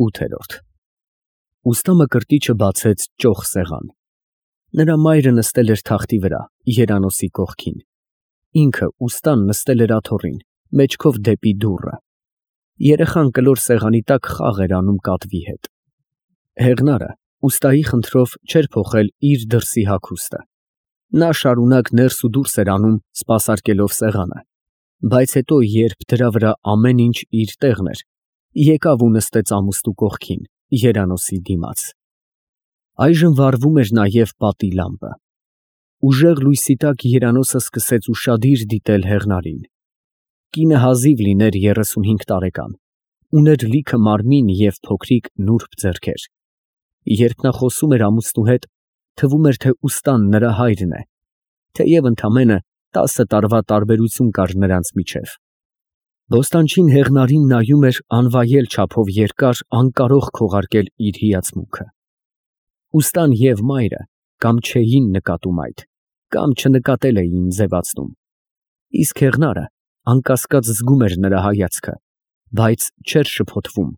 8-րդ Ուստա Մկրտիչը բացեց ճոխ սեղան։ Նրա մայրը նստել էր թախտի վրա, երանոցի կողքին։ Ինքը ուստան նստել էր աթոռին, մեջքով դեպի դուռը։ Երեխան կլոր սեղանի տակ խաղ էր անում կատվի հետ։ Հեղնարը ուստայի խնդրով չէր փոխել իր դրսի հագուստը։ Նա շարունակ ներս ու դուրս էր անում, սպասարկելով սեղանը, բայց հետո, երբ դրա վրա ամեն ինչ իր տեղն էր, եկավ ու նստեց ամուստու կողքին, երանոցի դիմաց։ Այժմ վառվում էր նաև պատի լամպը։ Ուժեղ լույսի տակ երանոցը սկսեց ուշադիր դիտել հեղնարին։ Կինը հազիվ լիներ 35 տարեկան, ուներ լիքը մարմին և փոքրիկ նուրբ ձեռքեր։ Երբ նա խոսում էր ամուսնու հետ, թվում էր, թե ուստան նրա հայրն է, թեև ընդամենը 10 տարվա տարբերություն կար նրանց միջև։ Բոստանչին հեղնարին նայում էր անվայել չափով երկար, անկարող քողարկել իր հիացմունքը։ Ուստան և մայրը կամ չէին նկատում այդ, կամ չնկատել էին ձևացնում։ Իսկ հեղնարը անկասկած զգում էր նրա հայացքը, բայց չէր շփոթվում,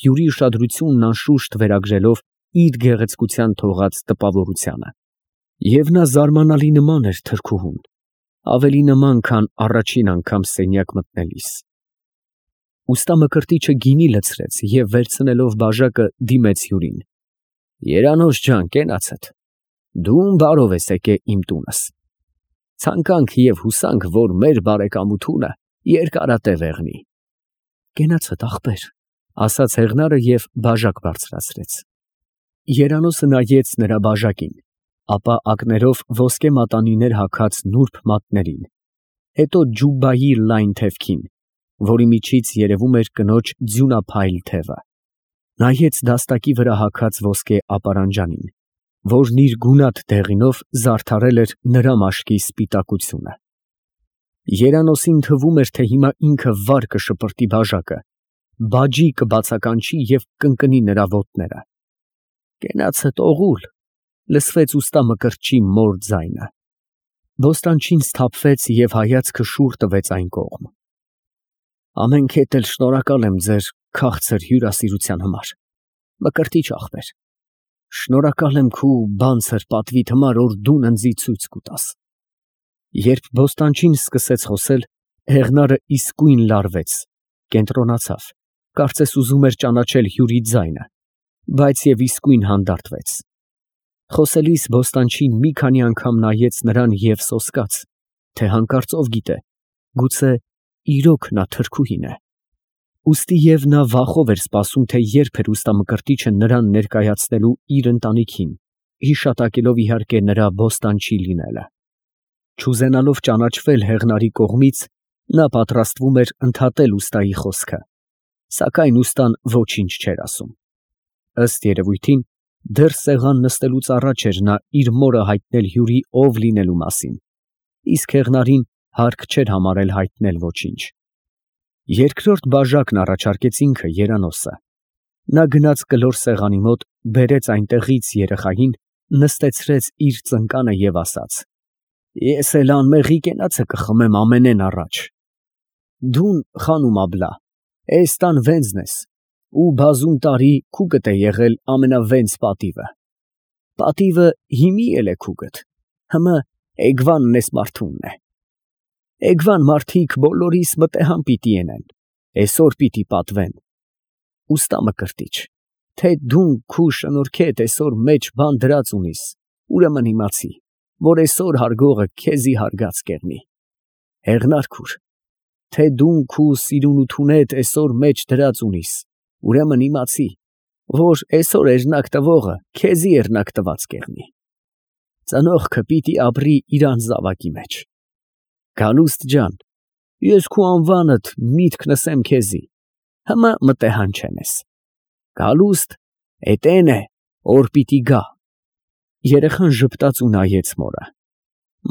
յուրի ուշադրությունն անշուշտ վերագրելով իր գեղեցկության թողած տպավորությանը։ Եվ նա զարմանալի նման էր թրքուհուն, ավելի նման, քան առաջին անգամ սենյակ մտնելիս։ Ուստա Մկրտիչը գինի լցրեց և վերցնելով բաժակը դիմեց հյուրին։ Երանոց ջան, կենացդ, դու բարով ես եկել իմ տունս։ Ցանկանք և հուսանք, որ մեր բարեկամությունը երկարատև եղնի։ Կենացդ ախպեր, ասաց հեղնարը և բաժակ բարձրացրեց։ Երանոցը նայեց նրա բաժակին, ապա ակներով ոսկե մատանիներ հագած նուրբ մատներին, հետո ջուբայի լայն թևքին, որի միջից երևում էր կնոջ ձյունափայլ թևը, նայեց դաստակի վրա հագած ոսկե ապարանջանին, որն իր գունատ դեղինով զարդարել էր նրա մաշկի սպիտակությունը։ Երանոցին թվում էր, թե հիմա ինքը վար կշպրտի բաժակը, բաջի կբացականչի և կընկնի նրա ոտները։ Կենացդ օղուլ, լսվեց ուստա Մկրտչի մոր ձայնը։ Բոստանչին սթափվեց և հայացքը շուռ տվեց այն կողմ։ Ամենքեդ էլ շնորհակալ եմ ձեր քաղցր հյուրասիրության համար, Մկրտիչ ախպեր։ Շնորհակալ եմ քու բանցր պատվիդ համար, որ դու ինձ ցույց կտաս։ Երբ Բոստանչին սկսեց խոսել, հեղնարը իսկույն լարվեց, կենտրոնացավ, կարծես ուզում էր ճանաչել հյուրի ձայնը, բայց և իսկույն հանդարտվեց։ Խոսելիս Բոստանչին մի քանի անգամ նայեց նրան և սոսկաց, թե հանկարծ ով գիտե, գուցե իրոք նա թրքուհին է։ Ուստի և նա վախով էր սպասում, թե երբ էր ուստա Մկրտիչը նրան ներկայացնելու իր ընտանիքին, հիշատակելով իհարկե նրա Բոստանչի լինելը։ Չուզենալով ճանաչվել հեղնարի կողմից, նա պատրաստվում էր ընդհատել ուստայի խոսքը, սակայն ուստան ոչինչ չէր ասում։ Ըստ երևույթին, դեռ սեղան նստելուց առաջ էր նա իր մորը հայտնել հյուրի ով լինելու մասին, իսկ հեղնարին հարկ չէր համարել հայտնել ոչինչ։ Երկրորդ բաժակն առաջարկեց ինքը, Երանոսը։ Նա գնաց կլոր սեղանի մոտ, բերեց այնտեղից երեխային, նստեցրեց իր ծնկանը և ասաց. Ես էլ անմեղի կենացը կխմեմ ամենեն առաջ։ Դուն խանում աբլա, էս տան վենձն ես, ու բազում տարի քուկդ է եղել ամենավենձ պատիվը։ Պատիվը հիմի էլ է քուկդ, հմը էգվանն ես մարդունն է։ Էգվան մարդիկ բոլորիս մտեհան պիտի ենեն, էսօր պիտի պատվեն։ Ուստա Մկրտիչ, թե դուն քու շնորհքեդ էսօր մեջ բան դրած ունիս, ուրեմն իմացի, որ էսօր հարգողը քեզի հարգած կեղնի։ Հեղնար քուր, թե դուն քու սիրունութունեդ էսօր մեջ դրած ունիս, ուրեմն իմացի, որ էսօր էրնակ տվողը քեզի էրնակ տված կեղնի։ Ծնողքը պիտի ապրի իր անզավակի մեջ։ Գալուստ ջան, ես քու անվանդ միտք նսեմ քեզի, հմը մտեհան չենես։ Գալուստ էտեն է, որ պիտի գա։ Երեխան ժպտաց ու նայեց մորը։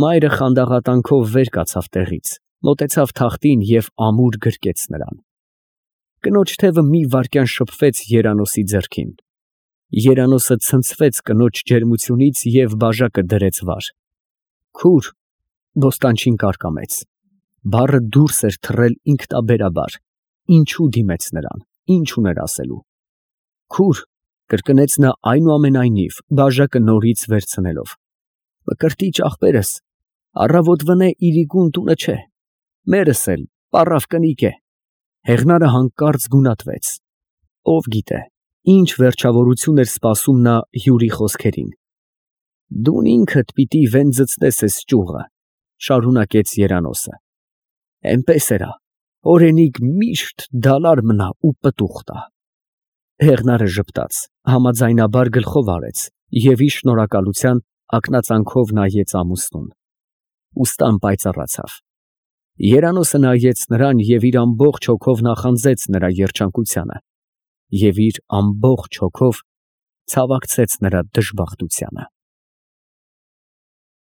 Մայրը խանդաղատանքով վեր կացավ տեղից, մոտեցավ թախտին և ամուր գրկեց նրան։ Կնոջ թևը մի վայրկյան շփվեց Երանոսի ձեռքին։ Երանոսը ցնցվեց կնոջ ջերմությունից և բաժակը դրեց վար։ Քուր, Բոստանչին կարկամեց։ Բառը դուրս էր թռել ինքնաբերաբար, ինչու դիմեց նրան, ինչ ուներ ասելու։ Քուր, կրկնեց նա այնուամենայնիվ, բաժակը նորից վերցնելով, մկրտիչ ախպերս, առավոտվնե իրիկուն տունը չէ, մերս էլ պառավ կնիկ է։ Հեղնարը հանկարծ գունատվեց, ով գիտե, ինչ վերջավորություն էր սպասում նա հյուրի խոսքերին։ Դուն ինքդ պիտի վենձցնես էս ճյուղը, շարունակեց Երանոսը, էնպես էրա, օրենիկ միշտ դալար մնա ու պտուղ տա։ Հեղնարը ժպտաց, համաձայնաբար գլխով արեց և իր շնորհակալության ակնածանքով նայեց ամուսնուն։ Ուստան պայծառացավ։ Երանոսը նայեց նրան և իր ամբողջ հոգով նախանձեց նրա երջանկությանը և իր ամբողջ հոգով ցավակցեց նրա դժբախտությանը։